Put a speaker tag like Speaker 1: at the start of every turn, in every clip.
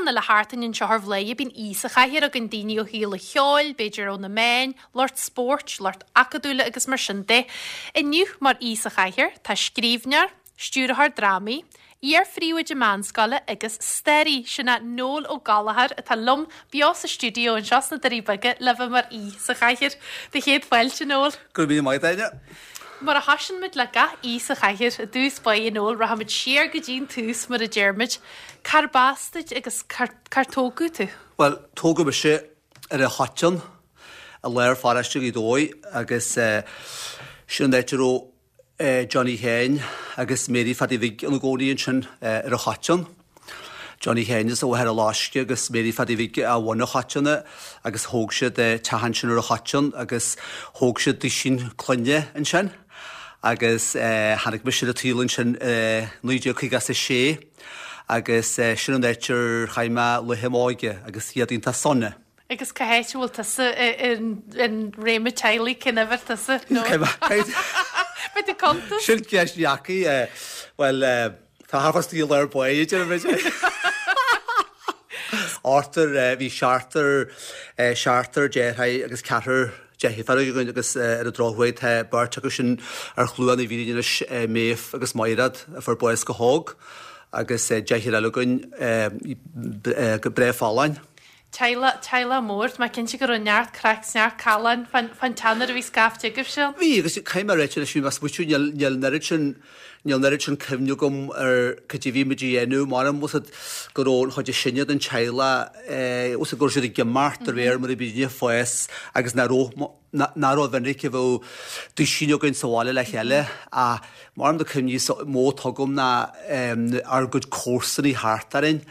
Speaker 1: an uile sheachtain anseo ar Bhladhaire bíonn aoi sa chathaoir againn, daoine ó shaol an cheoil, b'fhéidir ó na meáin, lucht spóirt, lucht acadúla agus mar sin de. Inniu mar aoi sa chathaoir tá scríbhneoir, stiúrthóir drámaí, iar-phríomhoide meánscoile agus staraí, sin é Noel Ó Gallchóir atá liom beo sa stiúideo anseo sna Doirí Beaga le bheith mar aoi sa chathaoir. Do chéad fáilte, Noel.
Speaker 2: Go raibh míle maith agat, Áine.
Speaker 1: Mar a thosaíonn muid le gach aoi sa chathaoir, i dtús báire, Noel, rachaimid siar go dtí an tús, mar a deir muid. Cárb as duit agus cár tógadh tú?
Speaker 2: Bhuel, tógadh mise ar an Choiteann i lár pharóiste Ghaoth Dobhair agus sin an áit a raibh Johnny Sheáin agus Mary Phaddy Bhig ina gcónaí ansin ar an Choiteann. Johnny Sheáin as Mhachaire Loiscthe agus Mary Phaddy Bhig ó Bhun an Choiteann agus thóg siad teach ansin ar an Choiteann agus thóg siad duisín clainne ansin agus tháinig mise ar an tsaol ansin i 1956 agus sin an áit ar chaith mé laetha m'óige agus iad iontach sona.
Speaker 1: Agus cá háit a bhfuil tusa i réim an teaghlaigh, cén uimhir tusa? Beidh tú cuntas?
Speaker 2: Sin ceist dheacair. Bhuel, tá thart fá istigh i lár báire, déarfaidh muid. Ochtar, bhí seachtar, seachtar deartháir agus ceathrar deirfiúr againn agus ar an drochuair tá beirt acu sin ar chluain na bhFírinne anois, Méabh agus Maighread, a fuair bás go hóg agus deirfiúr eile againn go breá folláin.
Speaker 1: Teaghlach, teaghlach mór. Tá mé cinnte go raibh neart craic 's neart callán fán fán teach nuair a bhí scaifte agaibhse ann.
Speaker 2: Bhí, agus caithfidh mé a ráit anois, bhí mé ag smaoitiú, níl, níl an oiread sin, níl an oiread sin cuimhne agam ar cad é a bhí muid a dhéanamh, m'anam, bhfuil 's a'd go raibh an chuid is sine den teaghlach, eh, bhfuil 's a'd go raibh siad ag imeacht de réir mar a bhí daoine ag fás agus nach raibh, nach rómhinic a bheadh duisín againn sa bhaile le chéile ach m'anam na cuimhní is mó atá agam ná ár gcuid comharsanaí thart orainn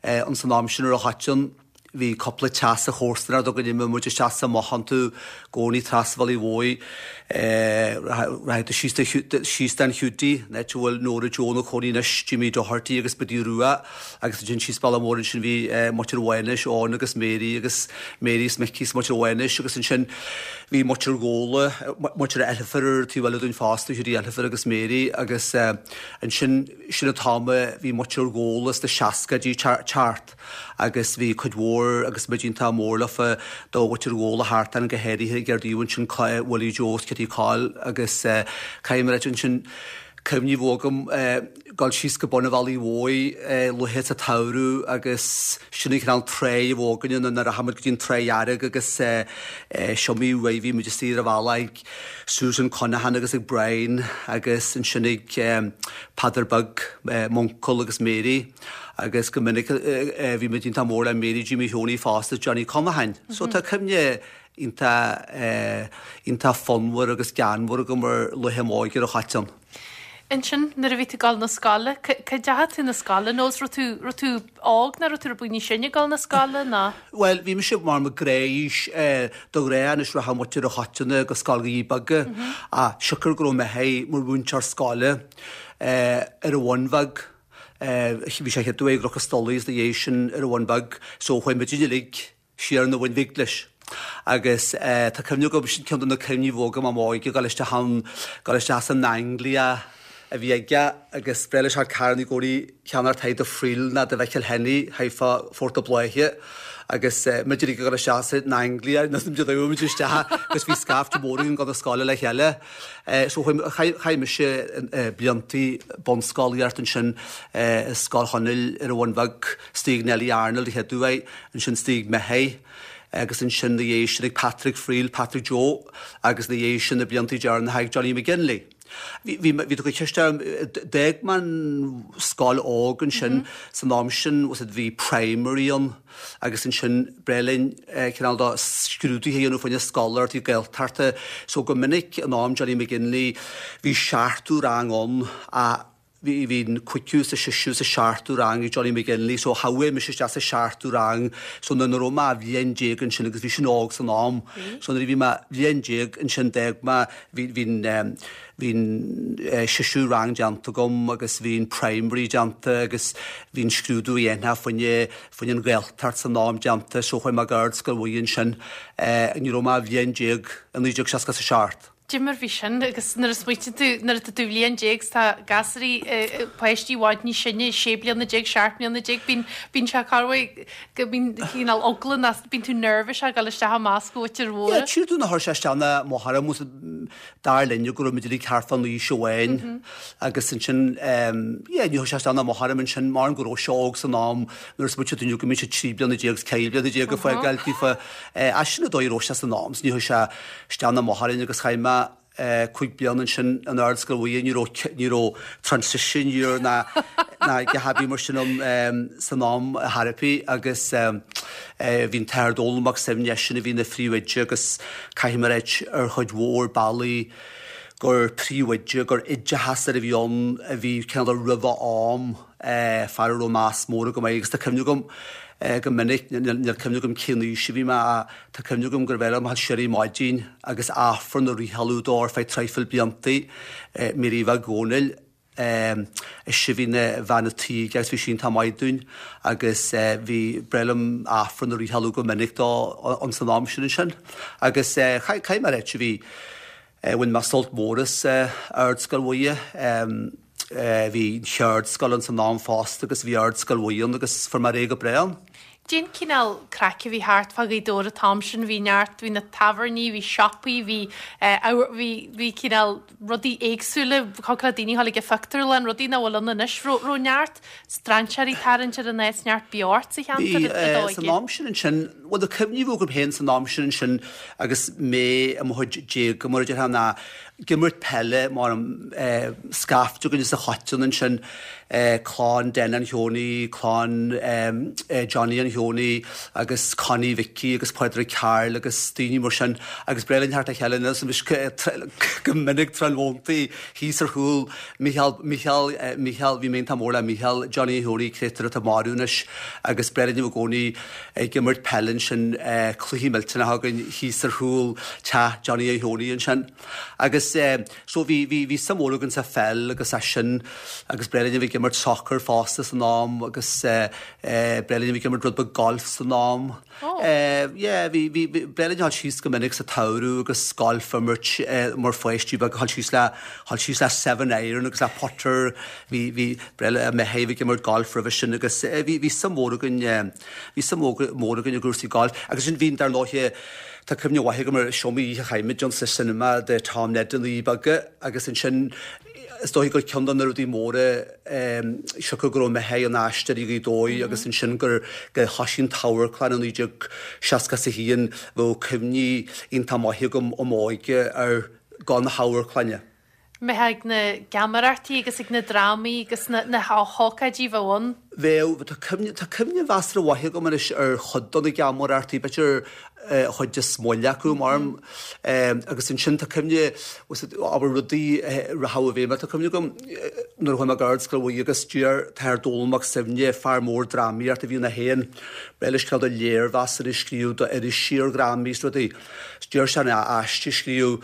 Speaker 2: ins an am sin ar an Choiteann. Bhí cúpla teach sa chomharsanacht againn, imíonn muid isteach is amach iontu i gcónaí trasna an Bhealaigh Mhóir, rachaidh tú síos don Hiúdaí, an áit a bhfuil Nóra Joe ina cónaí anois, Jimmy Doherty agus Biddy Rua agus ansin síos bealach mór ansin bhí muintir Mhánais, Eoin agus Mary agus Mary is Micí is muintir Mhánais agus ansin bhí muintir Ghóla, muintir Eilifir ar an taobh eile dúinn fosta, Hiúdaí Eilifir agus Mary agus ansin sin an t-am a bhí muintir Ghóla sna seascaidí teacht agus bhí cuid mhór agus muid iontach mór leofa do mhuintir Ghóla thart ann go háirithe ag ar dtaobh ansin Willie Joe is Kitty Coll agus caithfidh mé a ráit ansin cuimhní a bheith agam dul síos go bun an Bhealaigh Mhóir luaithe sa tsamhradh agus sin an cineál tráigh a bheadh againne nuair a rachadh muid go dtí an Tráigh Dhearg agus is iomaí uair a bhí muid istigh ar an bhealach ag Susan Conaghan agus ag Brian agus ansin ag Peadar Beag, m'uncail agus Mary agus go minic bhí muid iontach mór le Mary Jimmy Sheonaí fosta Johnny Conaghan. So tá cuimhne iontach iontach fonnmhar agus geanmhar agam ar laetha m'óige ar an Choiteann.
Speaker 1: Ansin, nuair a bhí tú ag dul 'na scoile, cá ndeachaigh tú 'na scoile nó is raibh tú, raibh tú óg nó raibh tú rud beag níos sine ag dul 'na scoile nó?
Speaker 2: Bhuel, bhí mise mar mo ghnáth-aois de ghnáth anois rachadh muintir an Choiteann go scoil Dhoirí Beaga ach siocair go raibh m'athair mar mhúinteoir scoile ar an Bhun Bheag, bhí sé chéad uair i gCnoc an Stolaire is ina dhiaidh sin ar an Bhun Bheag so chuaigh muid uilig siar 'na Bhun Bhig leis. Agus tá cuimhne agam, sin ceann de na cuimhní a bhí agam i m'óige, dul isteach ann, dul isteach san Anglia a bhí aige agus ba bhreá leis carranna i gcónaí a cheannacht do Friel ná do Mhicil Henny thaobh Phort a' Bhláithe agus muid uilig ag dul isteach san Anglia nó muid uilig muid isteach agus bhí scaifte mór againn ag dul 'na scoile le chéile. So chaith mise bliantaí bunscolaíocht ansin i Scoil Chonaill ar an Bhun Bheag, istigh ag Nellie Arnold a chéad uair, ansin istigh ag m'athair agus ansin 'na dhiaidh sin ag Patrick Friel, Patrick Joe agus 'na dhiaidh sin na bliantaí deireanacha ag Johnny McGinley. Bhí, bhí, bhí tú go ceist orm, d'fhág mé an scoil óg ansin san am sin, bhfuil 's a'd, bhí primary ann agus ansin ba bhreá linn cineál de scrúduithe a dhéanamh fá choinne scoláireachtaí Gaeltachta so go minic in am Johnny McGinley bhí seachtú rang ann ach Bhí, bhí an cúigiú is an seisiú is an seachtú rang ag Johnny McGinley so chuaigh mise isteach sa seachtú rang so nuair a raibh mé bhliain déag ansin agus bhí sin óg san am so nuair a bhí mé bhliain déag ansin d'fhág mé, bhí, bhí an, bhí an seisiú rang déanta agam agus bhí an primary déanta agus bhí an scrúdú a dhéanfá fá choinne, fá choinne an Ghaeltacht san am déanta so chuaigh mé go Ardscoil Mhuire ansin ní raibh mé bhliain déag i 1967.
Speaker 1: Cad é mar bhí sin agus nuair a smaoitíonn tú, nuair atá tú bhliain déag 's tá gasúraí, páistí i bhfad níos sine, sé bliana déag, seacht mbliana déag, bíonn, bíonn sé corruair go mbíonn cineál eagla ná bíonn tú nervous a dhul isteach i measc an mhuintir mhóra.
Speaker 2: Yeah, tchíonn tú nach chuir sé isteach ná mo chara, mo, dar linne go raibh muid uilig thart fán aois amháin agus ansin, yeah, ní chuir sé isteach ná mo chara ansin mar go raibh sé óg san am nuair a smaoitíonn tú go mbíonn sé 13 bliana is 14 bliana ag fágáil daofa, ach sin an dóigh a raibh sé san am, so ní chuir sé isteach ná amach orainn agus chaith mé 5 bliana ansin in Ardscoil Mhuire, ní raibh, ní raibh transition year ná ná a dhath ar bith mar sin ann san am ar chor ar bith agus bhí an tAthair Dónall Mac Suibhne, eisean a bhí ina phríomhoide agus caithfidh mé a ráit ar chuid mhór bealaí gur príomhoide, gur oideachasóir a bhí ann a bhí cineál roimh a am. fear a raibh meas mór agam air agus tá cuimhne agam go minic, níl cuimhne agam cén aois a bhí mé ach tá cuimhne agam gurbh fhearr liom a dhul siar ar maidin agus Aifreann a fhriothalú dó ar feadh traidhfil blianta, Mary Bheag Dhónaill, ise a bhí ina bhean a' tí aige agus bhí sí iontach maith dúinn agus bhí, breá liom Aifreann a fhriothalú go minic dó ins an am sin ansin. Agus caithfidh mé a ráit, bhí, Bhain mé sult mór as Ardscoil Mhuire. Bhí an cheardscoil ann san am fosta agus bhí Ardscoil Mhuire ann agus fuair mé ar aghaidh go breá ann.
Speaker 1: Cén cineál craic a bhí thart fá Ghaoth Dobhair an t-am sin? Bhí neart, bhí na tábhairní, bhí siopaí, bhí, bhí, bhí cineál rudaí éagsúla, thiocfadh le daoine a dhul ag an phictiúrlann, rudaí nach bhfuil ann anois. Raibh, raibh neart strainséirí ag tarraingt ar an áit, neart beocht sa cheantar
Speaker 2: i d'óige? San am sin ansin, bhuel na cuimhní a bhí agam féin san am sin ansin agus mé i mo chuid déaga mar a déarfá ná ag imirt peile mar scaifte againn as an Choiteann ansin, clann Den Sheonaí, clann Johnny an Sheonaí agus Connie Mhicí agus Pádraig Carl agus daoine mar sin agus ba bhreá linn theacht le chéile go minic tráthnóntaí thíos ar chúl Mícheál, Mícheál, Mícheál, bhí mé iontach mór le Mícheál, Johnny an Sheonaí, créatúr atá marbh anois agus ba bhreá linn i gcónaí ag imirt peile ansin, cluichí millteanacha againn thíos ar chúl teach Johnny an Sheonaí ansin. Agus so bhí, bhí, bhí suim mhór againn sa pheil agus as sin agus ba bhreá linn a bheith ag imirt soccer fosta san am agus ba bhreá linn a bheith ag imirt rud beag golf san am.
Speaker 1: Oh.
Speaker 2: Yeah, bhí, bhí, ba bhreá linn a dhul síos go minic sa tsamhradh agus golf a imirt mar pháistí beaga, dhul síos le, dhul síos le seven iron agus le putter, bhí, bhí, ba bhreá le mé a bheith ag imirt golf roimhe sin agus bhí, bhí suim mhór againn, bhí suim mhór againn i gcúrsaí golf. Agus sin, bhí, dar ndóighe, tá cuimhne mhaith agam ar is iomaí oíche a chaith muid ann sa cinema de Tom Ned na Naí Beaga agus ansin is dóigh gur ceann de na rudaí móra siocair go raibh Micheál ina aisteoir i Gaoth Dobhair agus ansin gur gur thoisigh an t-amharclann i 1961 bheadh cuimhní iontach maith agam ó m'óige ar ghabháil na hamharclainne.
Speaker 1: mbeifeá ag na geamaireachtaí agus ag na drámaí agus na na hócáidí a bheadh ann.
Speaker 2: Bheadh. Tá cuimhne, tá cuimhne mheasartha mhaith agam anois ar chuid de na geamaireachtaí, b'fhéidir an chuid is moille acu, mar, agus ansin tá cuimhne, abair rudaí a rachadh i bhfeidhm, tá cuimhne agam nuair a chuaigh mé go Ardscoil Mhuire agus d'iarr an tAthair Dónall Mac Suibhne, fear mór drámaíochta a bhí ann é féin, ba bhreá leis cineál de léirmheasanna a scríobh d'irisí ar dhrámaí is rudaí, d'iarr sé orm aiste a scríobh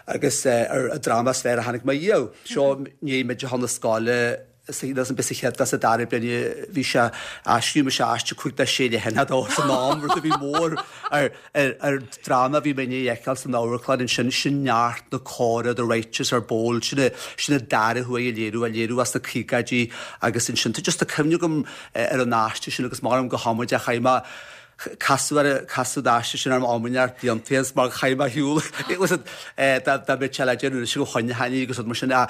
Speaker 2: agus ar an dráma is fearr a chonaic mé riamh. Seo i ndiaidh muid a dhul na scoile sa sa chéad sa dara bliain bhí sé á scríobh mise aiste 5 do 6 leathanach dó san am rud a bhí mór ar ar ar dráma a bhí mé i ndiaidh a fheiceáil san amharclann ansin sin Neart na Córa The Righteous Are Bold sin a sin an dara huair a léiriú a léiriú as na caogaidí agus ansin tá just tá cuimhne agam ar an aiste sin agus maram go hamaideach chaith mé Casadh ar casadh an aiste sin orm am neart blianta is mar chaith mé ar shiúl dá dá mbeadh sé le déanamh anois go choinneochainn agus rud mar sin ach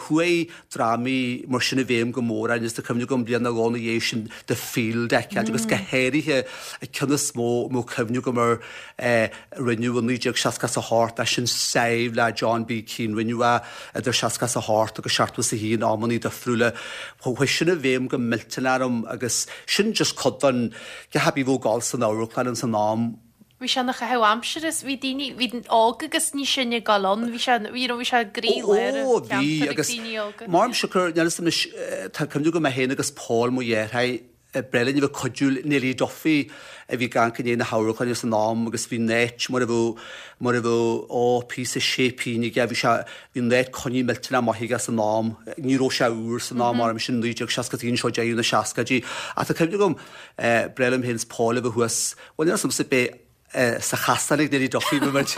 Speaker 2: chuaigh drámaí mar sin i bhfeidhm go mór orainn is tá cuimhne agam bliain nó dhó ina dhiaidh sin The Field a fheiceáil agus go háirithe an ceann is mó a mbeadh cuimhne agam air a rinneadh i 1968 é sin Sadhbh le John B. Keane rinneadh é idir 68 agus 71 amannaí difriúla chuaigh sin i bhfeidhm go millteanach orm agus sin just cuid den Cé hé a bhí ag gabháil san amharclann ins an am.
Speaker 1: Bhí sé ina chaitheamh aimsire is bhí daoine, bhí óg agus níos sine ag dul ann, bhí sé, you know, bhí sé i gcroí lár
Speaker 2: Ó,
Speaker 1: an
Speaker 2: bhí
Speaker 1: cheantair ag
Speaker 2: agus
Speaker 1: daoine óga.
Speaker 2: Mar siocair, níl 'fhios a'm anois, tá cuimhne agam mé féin agus Paul, mo dheartháir, ba bhreá linn a bheith ag cuidiú le Neilí Duffy a bhí ag amharc i ndiaidh na hamharclainne san am agus bhí an áit mar a bheadh, mar a bheadh, ó, píosa séipín aige, bhí sé, Bhí an áit coinnithe millteanach maith aige san am. Ní raibh sé úr san am, mar sin 1961 seo deireadh na seascaidí. Ach tá cuimhne agam, ba bhreá liom féin is Paul a bheith thuas, bhuel níl 'fhios a'msa b'é. Sa chasán ag Neilí Duffy bhí muid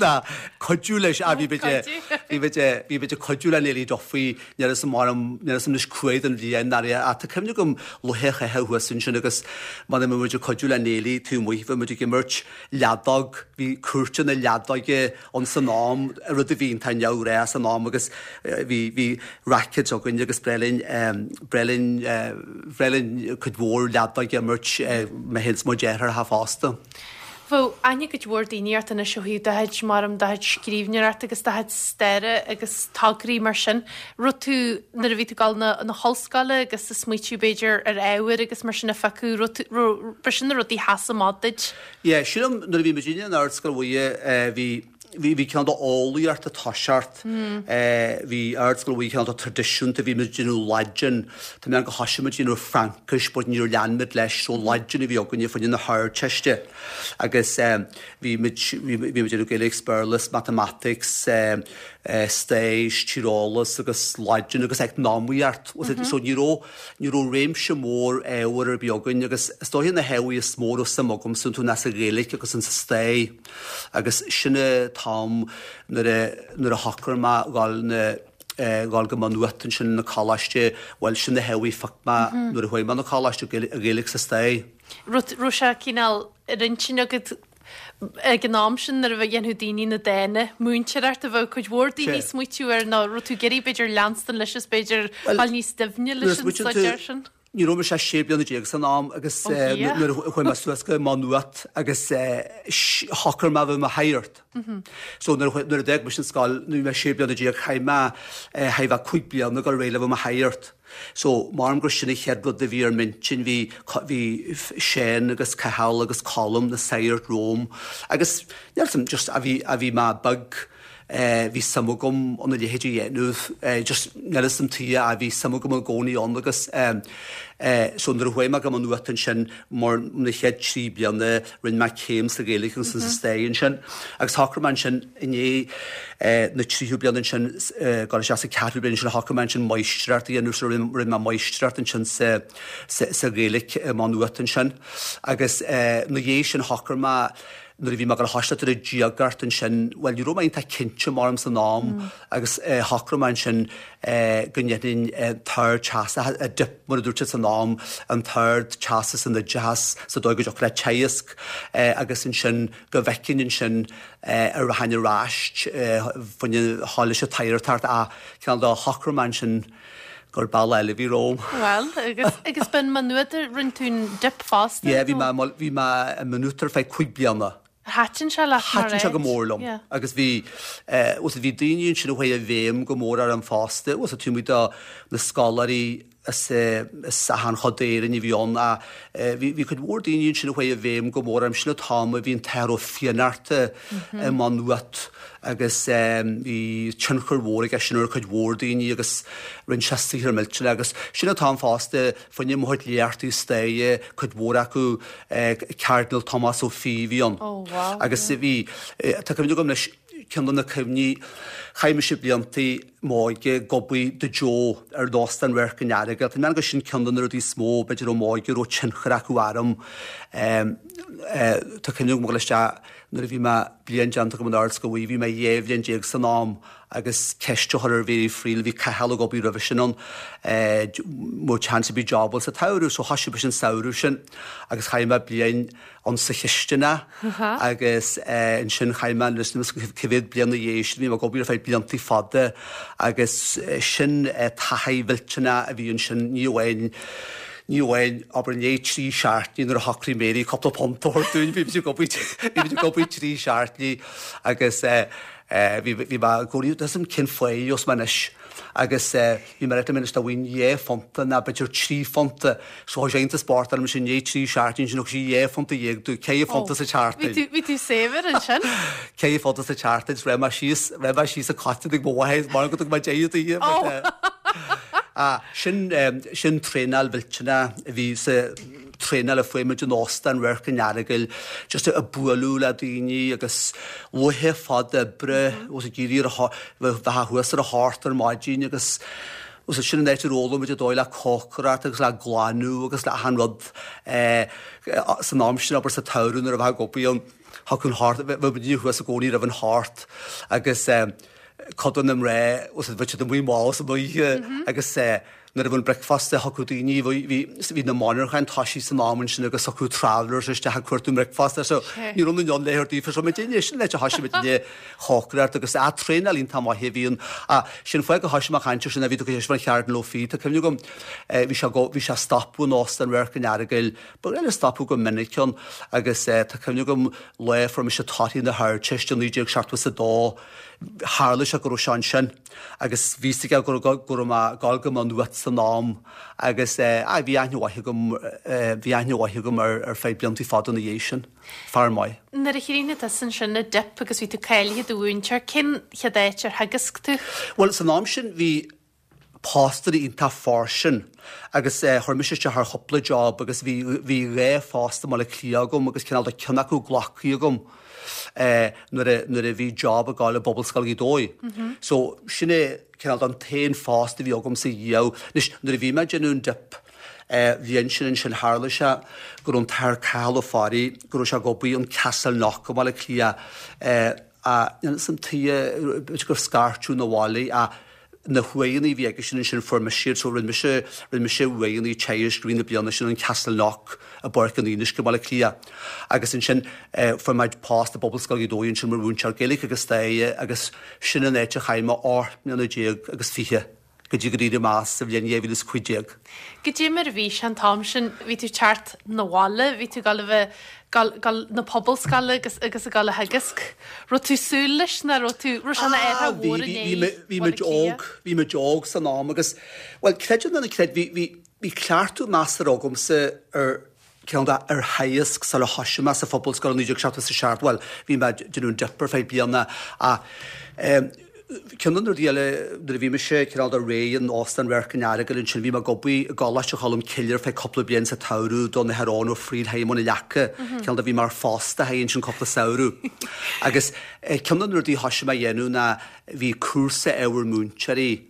Speaker 2: ná cuidiú leis ah bhí muid bhí muid bhí muid ag cuidiú le Neilí Duffy níl 'fhios a'm mar níl 'fhios a'm anois cá fhad den bhliain ná ach tá cuimhne agam laethe a chaitheamh thuas ansin agus mar a bhí muid ag cuidiú le Neilí taobh amuigh bhí muid ag imirt leadóg bhí cúirteanna leadóige ann san am, rud a bhí iontach neamhghnách san am agus bhí, bhí rackets againn agus b'bhreá linn, b'bhreá linn, b'bhreá linn cuid mhór leadóg a imirt, mé féin is mo dheartháireacha fosta.
Speaker 1: Bheadh aithne ag cuid mhór daoine ort anois ó thaobh do chuid, maram, do chuid scríbhneoireachta agus do chuid staire agus tograí mar sin. Raibh tú, nuair a bhí tú ag dul na, na hollscoile agus ag smaoitiú b'fhéidir ar ábhair agus mar sin a phiocadh, raibh tú, raibh, ba sin na rudaí a sheas amach duit?
Speaker 2: Yeah, sílim nuair a bhí muidinne in Ardscoil Mhuire bhí bhí bhí cineál d'eolaíocht ag toiseacht, bhí Ardscoil Mhuire cineál de traidisiúnta, bhí muid ag déanamh Laidin, tá mé ann go thoisigh muid ag déanamh Fraincis but níor lean muid leis so Laidin a bhí againne fá choinne na hArdteiste agus bhí muid bhí muid ag déanamh Gaeilge 's Béarla 's Matamaitic 's Stair 's Tíreolas agus Laidin agus Eacnamaíocht so ní raibh Ní raibh réimse mór ábhar ar bith againn agus is dóiche na hábhair is mó a raibh suim agamsa iontu ná sa Ghaeilge agus insa stair agus sin an t-am nuair a nuair a shocraigh mé dhul na dhul go Maigh Nuat ansin na coláiste, bhuel sin na hábhair a phioc mé nuair a chuaigh mé na coláiste, Gaeilge 's stair.
Speaker 1: Raibh sé cineál ar intinn agat Ag an am sin nuair a dhéanfadh daoine na dána múinteoireacht a bheadh cuid mhór daoine ag smaoitiú air nó raibh tú ag iarraidh b'fhéidir leanstan leis is b'fhéidir dul níos doimhne leis an staidéar sin?
Speaker 2: Ní raibh mise ach 16 bliana san am agus nuair a chuaigh mé suas go Maigh Nuat agus shocraigh mé a bheith i mo shagart. So nuair a d'fhág mise an scoil nuair a bhí mé 16 bliana chaith mé chaith mé 5 bliana ag dul ar aghaidh le bheith i mo shagart. So, maram gur sin an chéad rud a bhí ar m'intinn, bhí, bhí Seán agus Cathal agus Colm, na sagairt romham agus níl 'fhios a'm, just a bhí, a bhí mé beag, eh, bhí suim agam ann a leithéid a dhéanamh, eh, just níl 'fhios a'm tuige a bhí suim agam i gcónaí ann agus, eh, eh, so nuair a chuaigh mé go Maigh Nuat ansin, mar na chéad 3 bliana, Rinne mé céim sa Ghaeilge agus sa Stair ansin agus shocraigh mé ansin i ndiaidh na tríú bliana ansin, dul isteach sa ceathrú bliain ansin, shocraigh mé ansin máistreacht a dhéanamh so rinne mé máistreacht ansin sa sa Ghaeilge i Maigh Nuat ansin agus ina dhiaidh sin shocraigh mé nuair a bhí mé ag dul a thoiseacht ar an diagacht ansin, bhuel ní raibh mé iontach cinnte maram san am agus shocraigh mé ansin go ndéanfainn an tArd-Teastas, a Dip mar a dúirt siad san am, an tArd-Teastas san Oideachas sa dóigh go dtiocfadh le Teagasc agus ansin go bhfeicfinn ansin an rachainn ar ais fá choinne a ghabháil leis an tsagartacht ach cineál de shocraigh mé ansin gur bealach eile a bhí romham.
Speaker 1: Bhuel, agus, agus b'in Maigh Nuad a rinne tú an Dip fosta?
Speaker 2: Yeah, bhí mé, bhí mé i Maigh Nuad ar feadh cúig bliana.
Speaker 1: Thaitin sé leat
Speaker 2: mar áit? Thaitin sé go mór liom agus bhí, bhuel bhí daoine ansin a chuaigh i bhfeidhm go mór orm fosta, bhuel taobh amuigh de na scoláirí as achan chuid d'Éirinn a bhí ann ach bhí bhí cuid mhór daoine ansin a chuaigh i bhfeidhm go mór orm. Sin an t-am a bhí an tAthair Ó Fiannachta i Maigh Nuat agus bhí tionchar mhór aige sin ar chuid mhór daoine agus rinne sé saothar millteanach agus sin an t-am fosta fá choinne mo chuid léachtaí staire, cuid mhór acu, Cardinal Tomás Ó Fiaich a bhí ann.
Speaker 1: Oh wow.
Speaker 2: Agus bhí, tá cuimhne agam leis, ceann de na cuimhní, chaith mise bliantaí m'óige ag obair do Joe ar Óstán Radharc an Earagail. Tá mé ag mean gur sin ceann de na rudaí is mó, b'fhéidir ó m'óige, a raibh tionchar acu orm. Tá cuimhne agam ag dul isteach nuair a bhí mé bliain déanta agam in Ardscoil Mhuire, bhí mé 12 bhliain san am, agus ceist a chur ar Mhary Friel, bhí Cathal ag obair roimhe sin ann, an mbeadh chance ar bith jobáil sa tsamhradh, so thoisigh mise an samhradh sin agus chaith mé bliain ann sa chistineach agus ansin chaith mé níl 'fhios a'm cá mhéad bliain ina dhiaidh sin, bhí mé ag obair ar feadh bliantaí fada agus sin taithí mhillteanach a bhí ansin, ní amháin ní amháin obair i ndiaidh trí seachtainí nuair a shocraigh Mary cúpla punt a thabhairt dúinn, bhí muid ag obair bhí muid ag obair trí seachtainí agus Bhí mé i gcónaí, níl 'fhios a'm cén fáth os mé anois agus bhí mé ag anois dá bhfaighinn dhá phunta ná b'fhéidir trí phunta so chuaigh sé iontach spórt orm sin i ndiaidh trí seachtainí ansin thug sí dhá phunta dhéag domh, ceithre phunta sa tseachtain.
Speaker 1: Bhí tú saibhir ansin.
Speaker 2: Ceithre phunta sa tseachtain, so raibh mé síos, raibh mé síos ag Cotton ag mo mháthair mar go dtug mé deireadh daoithe but ah sin sin traenáil mhillteanach a bhí sa traenáil a fuair muid in Óstán Radharc an Earagail, just ag bualadh le daoine agus laethe fada oibre, was ag iarraidh ar a bheith thuas ar a hocht ar maidin agus was sin an áit ar fhoghlaim muid an dóigh le cócaireacht agus le glanadh agus le achan rud. San am sin, abair sa tsamhradh nuair a bheifeá ag obair ann, thiocfadh an hort, bheadh muidne thuas i gcónaí roimh an hort agus cuid de na mná, bheadh siad amuigh mall san oíche agus nuair a bhí an bricfeasta thiocfadh daoine, bhí, bhí na monarcháin toisithe san am ansin agus thiocfadh travellers isteach ag cuartú mbricfeasta so ní raibh in ann léitheoir daofa so muidinne, sin an áit a thoisigh muidinne ag cócaireacht agus a traenáil iontach maith a bhí ann. Ah, sin fáth gur thoisigh mé ag caint air sin a bhí tú ag ceist fán Chairdín Ó Fiaich, tá cuimhne agam bhí sé go, bhí sé ag stopadh in Óstán Radharc an Earagail, ba ghnáth leis stopadh go minic ann agus tá cuimhne agam lá a fuair mise torthaí na hArdteiste 1972, tharla sé go raibh sé ansin. Agus bhí fhios aige go raibh go raibh mé ag gabháil go Maigh Nuad san am agus eh aye bhí aithne mhaith agam eh bhí aithne mhaith agam air ar feadh blianta fada ina dhiaidh sin. Fear maith.
Speaker 1: Nuair a chríochnaigh tusa ansin an dip agus bhí tú cáilithe do mhúinteoir, cén chéad áit ar theagasc tú?
Speaker 2: Bhuel san am sin bhí postanna iontach fairsing agus eh chuir mise isteach ar chúpla job agus bhí bhí dhá phost i mBaile Átha Cliath agam agus cineál de ceann acu glactha agam. nuair a nuair a bhí job ag gabháil i bPobalscoil Ghaoth Dobhair. So sin é cineál den t-aon phost a bhí agam sa dhiaidh. Anois nuair a bhí mé ag déanamh an dip bhliain sin ansin tharla sé go raibh an tAthair Cathal Ó Fearraigh go raibh sé ag obair in Castleknock i mBaile Átha Cliath a san tuighe b'fhéidir gur scairteadh 'na bhaile a na huaigheanna a bhí aige sin ansin fuair mise iad so rinne mise rinne mise uaigheanna teagaisc i rith na bliana sin in Castleknock i bPáirc an Fhionnuisce i mBaile Átha Cliath agus ansin fuair mé post i bPobalscoil Ghaoth Dobhair ansin mar mhúinteoir Gaeilge agus Staire agus sin an áit a chaith mé 18 mbliana agus 20 go dtí gur éirigh mé as sa bhliain 2015.
Speaker 1: Goidé mar a bhí sé an t-am sin, bhí tú ag teacht 'na bhaile, bhí tú ag dul a bheith gabháil gabháil na pobalscoile agus agus ag dul a theagasc. Raibh tú súil leis nó raibh tú raibh sé ina
Speaker 2: Ah
Speaker 1: athrú
Speaker 2: bhí
Speaker 1: mhór
Speaker 2: bhí
Speaker 1: inné
Speaker 2: bhí mé bhí
Speaker 1: Bhaile
Speaker 2: muid
Speaker 1: Átha Cliath?
Speaker 2: óg bhí muid óg san am agus bhuel creid é nó ná creid bhí bhí bhí cleachtadh measartha agamsa ar ceann de ar theagasc sula thoisigh mé sa phobalscoil i 1977 bhuel bhí mé ag déanamh an dip ar feadh bliana ach eh Ceann de na rudaí eile, nuair a bhí mise cineál de réidh in Óstán Radharc an Earagail ansin, bhí mé ag obair i gColáiste Cholm Cille ar feadh cúpla bliain sa tsamhradh don Athair Eoin Ó Fríl i mbun an Leaca, cineál de bhí mé ar fostaithe ansin cúpla samhradh. Agus ceann de na rudaí a thoisigh mé a dhéanamh ná bhí cúrsa ábhar múinteoirí,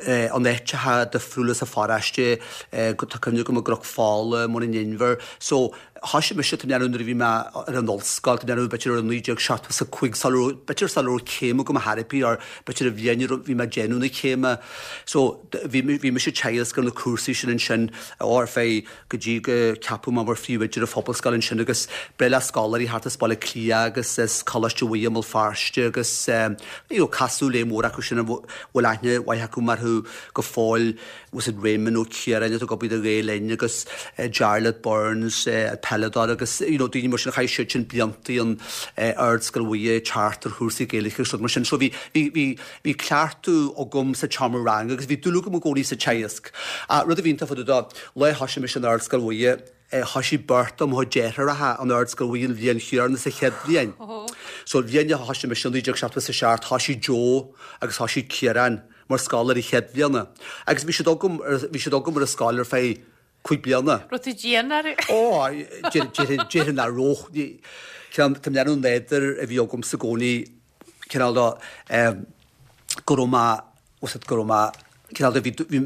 Speaker 2: in áiteacha difriúla sa pharóiste, tá cuimhne agam i gCnoc Fola, i mBun an Inbhir. So, thoisigh mise, tá mé ag déanamh nuair a bhí mé ar an ollscoil, tá mé ag déanamh b'fhéidir i 1975, sula raibh, b'fhéidir sula raibh céim agam ar chor ar bith or b'fhéidir an bhliain a raibh, bhí mé ag déanamh na céime. So, bhí, bhí mise ag teagasc ar na cúrsaí sin ansin ar feadh, go dtí go ceapadh mé mar phríomhoide ar an phobalscoil ansin agus breá le scoláirí thart as Baile Átha Cliath agus as Coláiste Mhuire i mBéal Feirste agus you know casadh le mór acu sin a bhfuil aithne mhaith acu orthu go fóill was it Raymond Ó Ciaráin atá ag obair do Ghael Linn agus Jarlath Burns an peileadóir agus you know daoine mar sin a chaith siad sin blianta in Ardscoil Mhuire teacht ar chúrsaí Gaeilge agus rud mar sin so bhí bhí bhí Bhí cleachtadh agam sa tseomra ranga agus bhí dúil agam i gcónaí sa teagasc. Rud a bhí iontach fá dtaobh de, lá a thoisigh mise in Ardscoil Mhuire, thoisigh beirt de mo chuid deartháireacha in Ardscoil Mhuire an bhliain chéanna sa chéad bhliain. So an bhliain a thoisigh mise i 1977, thoisigh Joe agus thoisigh Ciarán mar scoláirí chéad bhliana. Agus bhí siad agam, bhí siad agam ar an scoil ar feadh cúig bliana.
Speaker 1: Raibh tú dian orthu?
Speaker 2: Ó, déarfainn nach raibh. Tá mé ag déanamh an nádúr a bhí agamsa i gcónaí cineál de go raibh mé, bhfuil fhios agat, go raibh mé, cineál de bhí, bhí,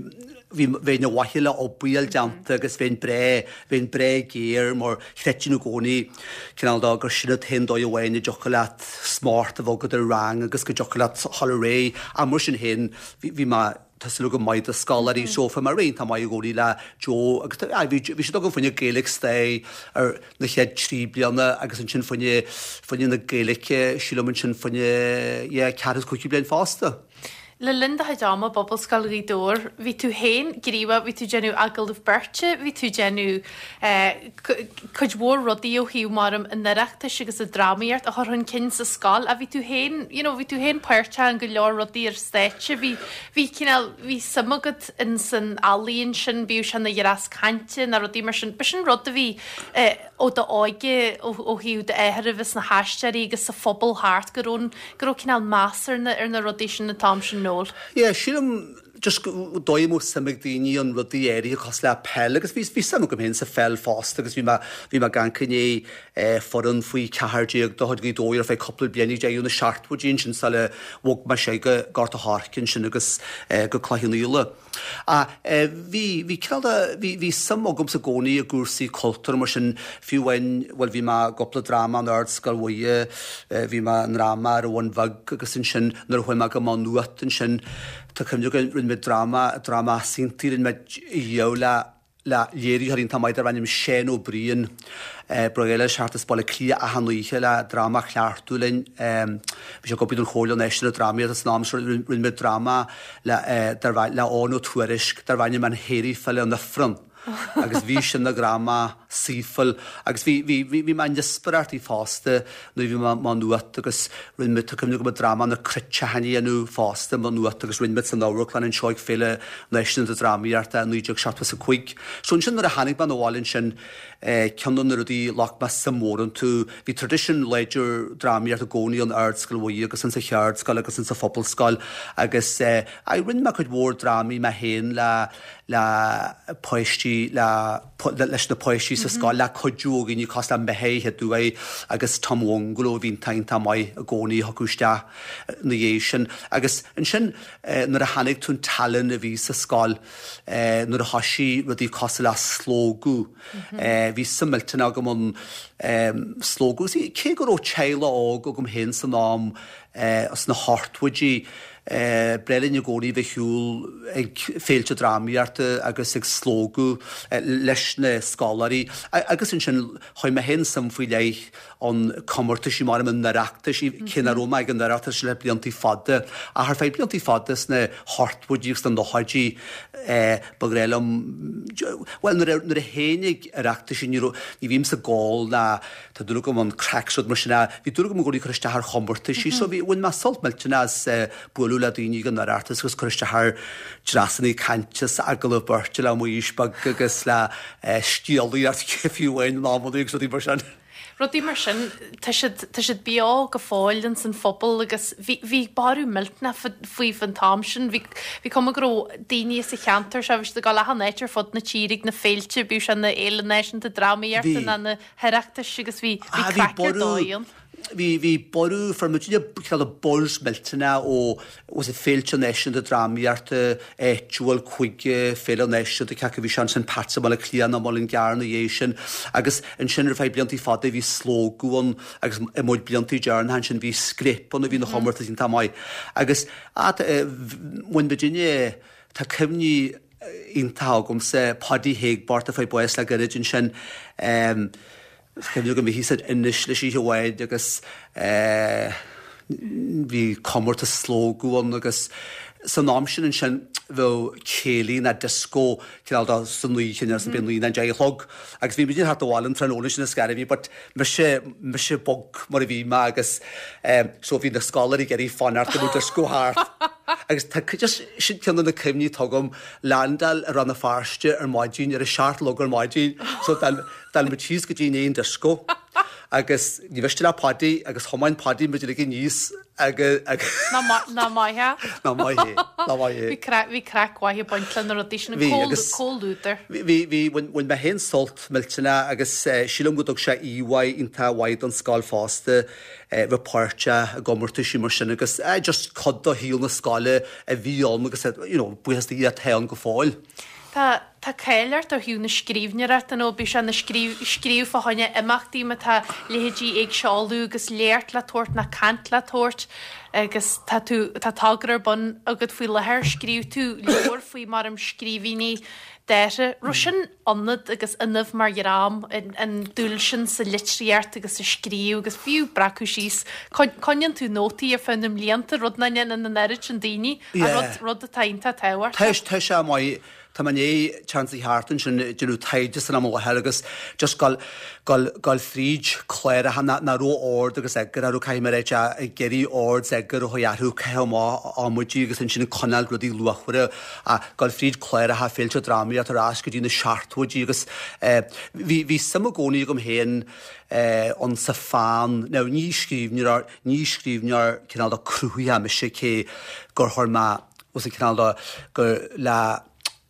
Speaker 2: bhí, bheinn ar mhaithe le obair a fháil déanta agus bheinn breá, bheinn breá géar mar chreidfinn i gcónaí cineál de gur sin an t-aon dóigh amháin a dtiocfadh leat smacht a bheith agat ar rang agus go dtiocfadh leat dhul ar aghaidh. Ach mar sin féin, bhí, bhí mé, tá súil agam maith do scoláirí so bhí mé iontach maith i gcónaí le Joe agus tá bhí bhí siad agam fá choinne Gaeilge Stair ar na chéad trí bliana agus ansin fá choinne fá choinne na Gaeilge sílim ansin fá choinne yeah ceathrú is cúigiú bliain fosta.
Speaker 1: Le linn do chuid ama i bPobalscoil Ghaoth Dobhair, bhí tú féin gníomhach, bhí tú ag déanamh agallamh beirte, bhí tú ag déanamh cuid mhór rudaí ó thaobh maram an Oireachtais agus an drámaíocht a chur chun cinn sa scoil ach bhí tú féin, you know, bhí tú féin páirteach in go leor rudaí ar stáitse, bhí, bhí cineál, bhí suim agat in san ealaíon sin, bíodh sé ina dhreas cainte nó rudaí mar sin. B'shin rud a bhí eh, ó d'óige, ó, ó thaobh d'athar a bheith sna haisteoirí agus sa phobal thart, go raibh, go raibh cineál meas ar na, ar na rudaí sin an t-am sin, Noel.
Speaker 2: Yeah, sílim. Just dóigh a mbeadh suim ag daoine in rudaí áirithe cosúil le peil agus bhí bhí suim agam féin sa pheil fosta agus bhí mé bhí mé ag amharc i ndiaidh foireann faoi 14 de chuid Ghaoth Dobhair ar feadh cúpla bliain ag deireadh na seachtóidí ansin sula bhog mé sé go Gort a' Choirce ansin agus go Cloich Cheann Fhaola. Ach bhí, bhí cineál de, bhí, bhí suim agamsa i gcónaí i gcúrsaí cultúir mar sin, fiú amháin, bhuel bhí mé i gcúpla dráma in Ardscoil Mhuire, bhí mé i ndráma ar an Bhun Bheag agus ansin nuair a chuaigh mé go Maigh Nuad ansin, tá cuimhne agam, rinne muid dráma, dráma easaontaí, rinne muid a le, le léiritheoir iontach maith darbh ainm Seán Ó Briain. Ba ghnách leis theacht as Baile Átha Cliath achan oíche le dráma a chleachtadh linn. Bhí sé ag obair don Chomhairle Náisiúnta Drámaíochta san am sin. Rinne muid dráma le le Eoghan Ó Tuairisg darbh ainm An hAoraí File in Ifreann agus bhí sin ina dhráma saoithiúil agus bhí bhí bhí mé in iascaireachtaí fosta nuair a bhí mé i Maigh Nuad agus rinne muid, tá cuimhne agam dráma Na Cruiteachain a dhéanamh fosta i Maigh Nuad agus rinne muid san amharclann anseo ag Féile Náisiúnta Drámaíochta i 1975. So ansin nuair a tháinig mé 'na bhaile ansin, ceann de na rudaí a ghlac mé suim mhór iontu, bhí tradition láidir drámaíochta i gcónaí in Ardscoil Mhuire agus insa Cheardscoil agus insa Phobalscoil agus eh, rinne mé cuid mhór drámaí mé féin le le páistí le leis na páistí sa scoil le cuidiú ó dhaoine cosúil le Micheál Hiadúi agus Tom Bhungalow a bhí iontach maith i gcónaí a thiocfadh isteach ina dhiaidh sin. Agus ansin nuair a chonaic tú an tallann a bhí sa scoil, nuair a thoisigh rudaí cosúil le Slógadh, bhí suim millteanach agam ann Slógadh. Cé go raibh teaghlach óg agam féin san am sna hochtóidí, B'fhearr linn i gcónaí bheith ar shiúl ag féilte drámaíochta agus ag slógadh leis na scoláirí agus ansin chuir mé féin suim faoi leith ann comórtaisí mar an Oireachtais, cé nach raibh mé ag an Oireachtas le bliantaí fada ach ar feadh bliantaí fada sna hochtóidí agus sna nóchaidí ba ghnách liom, bhuel nuair a théinn ag Oireachtaisí ní raibh, ní bhímse ag ól ná Tá dúil agam an craic is rud mar sin a, bhí dúil agam i gcónaí cur isteach ar chomórtaisí so bhí, bhain mé sult millteanach as bualadh le daoine ag an Oireachtas agus cur isteach ar dreasanna cainte is agallamh beirte le Muiris Beag agus le scéalaíocht fiú amháin in amannaí agus rudaí mar sin.
Speaker 1: Rudaí mar sin, tá siad, tá siad beo go fóill ins an phobal agus bhí, bhí borradh millteanach faoi fán t-am sin. Bhí, bhí cuma go raibh daoine sa cheantar seo, bhí siad ag dul achan áit ar fud na tíre ag na féilte, bíodh sé na Fhéile Náisiúnta Drámaíochta ná na hOireachtais agus bhí bhí craic ar dóigh ann.
Speaker 2: Bhí bhí borradh, fuair muidne cineál de buzz millteanach ó was it Féilte Náisiúnta Drámaíochta áitiúil chuig Féile Náisiúnta cé acu bhí sé ansin Pat's i mBaile Átha Cliath nó Muileann gCearr ina dhiaidh sin agus ansin ar feadh bliantaí fada bhí Slógadh ann agus i mbuid bliantaí deireanacha ansin bhí Scléip ann a bhí ina chomórtas iontach maith agus bhain muidne tá cuimhní iontach agamsa, Paudie Héigbert a fuair bás le gairid ansin. Is cuimhin liom bhí thíos ar Inis leis oíche amháin agus bhí comórtas Slógadh ann agus san am sin ansin bheadh céilí ná disco cineál de san oíche nó b'fhéidir 9 nó 10 a chlog agus bhí muid ag teacht abhaile an tráthnóna sin is gairid but mise mise bog mar a bhí mé agus so bhí na scoláirí ag iarraidh fanacht go mbeadh disco thart agus tá just sin ceann de na cuimhní atá agam landáil i Rann na Feirste ar maidin ar a 7 a chlog ar maidin so d'fhan muid síos go dtí an aon disco agus ní mhiste le Paddy agus thiomáin Paddy muid uilig aníos agus
Speaker 1: Nach maith é?
Speaker 2: Nach maith é, nach maith é.
Speaker 1: Bhí craic bhí craic mhaith ag baint le na rudaí sin, an
Speaker 2: Bhí agus
Speaker 1: comhluadar.
Speaker 2: bhí bhí bhain bhain mé féin sult millteanach agus sílim go dtug sé íomhá iontach mhaith don scoil fosta bheith páirteach i gcomórtaisí mar sin agus just cuid de shaol na scoile a bhí ann agus you know buíochas do Dhia atá ann go fóill.
Speaker 1: Tá tá cáil ort ó thaobh na scríbhneoireachta nó bíodh sé ina scríobh scríobh fá choinne imeachtaí má tá leithéidí Éigse Uladh agus léacht le tabhairt ná caint le tabhairt agus tá tú tá togra ar bun agat faoi láthair scríobh tú leabhar faoi mar scríbhinní Dara. Raibh sin ionat agus ionaibh mar dhream, an dúil sin sa litríocht agus sa scríobh agus fiú breacadh síos. Coinníonn tú nótaí ar feadh na mblianta, rud nach ndéanann an oiread sin daoine, ach rud atá iontach tábhachtach.
Speaker 2: Tá sé maith. Tá mé i ndiaidh seans a theacht ansin ag déanamh taighde san am i láthair agus just gabháil, gabháil, gabháil fríd cláracha nach raibh ord agus eagar orthu, caithfidh mé a ráit, ag iarraidh ord is eagar a chur orthu, caitheamh amach amaidí agus ansin ag coinneáil rudaí luachmhara. Gabháil fríd cláracha féilte drámaíochta ar ais go dtí na seachtóidí agus bhí, bhí suim i gcónaí agam féin ann sa pheann. Now ní scríbhneoir, ní scríbhneoir cineál de cruthaitheach mise cé gur chuir mé. Bhfuil 's cineál de go le